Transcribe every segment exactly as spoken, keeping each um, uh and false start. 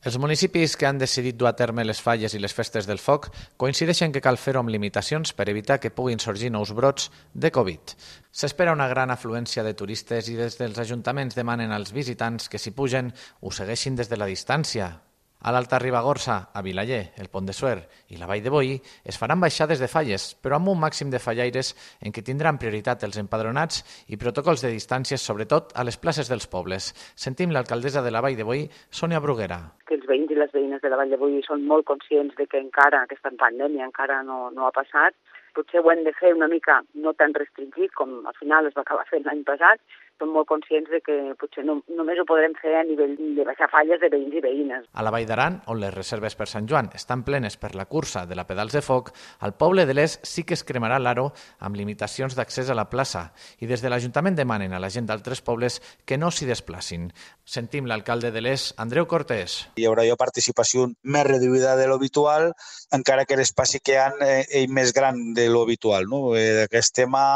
Els municipis que han decidit dur a terme les falles i les festes del foc coincideixen que cal fer-ho amb limitacions per evitar que puguin sorgir nous brots de Covid. S'espera una gran afluència de turistes i des dels ajuntaments demanen als visitants que s'hi pugen ho segueixin des de la distància. A l'Alta Ribagorça, a Vilaller, el Pont de Suert i la Vall de Boí es faran baixades de falles, però amb un màxim de fallaires en què tindran prioritat els empadronats i protocols de distàncies, sobretot a les places dels pobles. Sentim l'alcaldessa de la Vall de Boí, Sònia Bruguera. Que els veïns i les veïnes de la Vall de Boí són molt conscients de que encara aquesta pandèmia encara no, no ha passat. Potser ho hem de fer una mica no tan restringit com al final es va acabar fent l'any passat. Som molt conscients de que potser no, només ho podrem fer a nivell de baixar falles de veïns i veïnes. A la Vall d'Aran, on les reserves per Sant Joan estan plenes per la cursa de la Pedals de Foc, al poble de l'Es sí que es cremarà l'aro amb limitacions d'accés a la plaça i des de l'Ajuntament demanen a la gent d'altres pobles que no s'hi desplacin. Sentim l'alcalde de l'Es, Andreu Cortés. Hi haurà jo participació més reduïda de l'habitual, encara que l'espai que hi ha és més gran de l'habitual. No? Aquest tema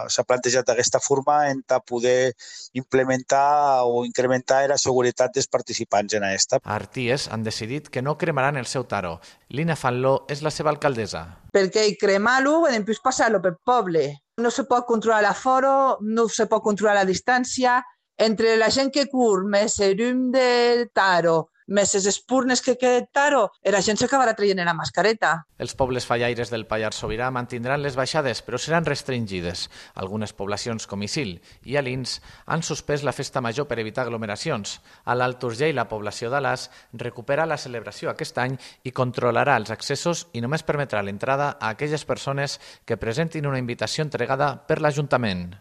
s'ha plantejat d'aquesta forma en poder implementar o incrementar la seguretat dels participants en aquesta. A Arties han decidit que no cremaran el seu taro. Lina Fanló és la seva alcaldessa. Perquè cremar-lo i després passar-lo pel poble. No se pot controlar l'aforo, no se pot controlar la distància. Entre la gent que cur, més el llum de taro, més les espurnes que queda taro, la gent s'acabarà traient la mascareta. Els pobles fallaires del Pallars Sobirà mantindran les baixades, però seran restringides. Algunes poblacions com Isil i Alins han suspès la festa major per evitar aglomeracions. A l'Alt Urgell, la població d'Alàs recupera la celebració aquest any i controlarà els accessos i només permetrà l'entrada a aquelles persones que presentin una invitació entregada per l'Ajuntament.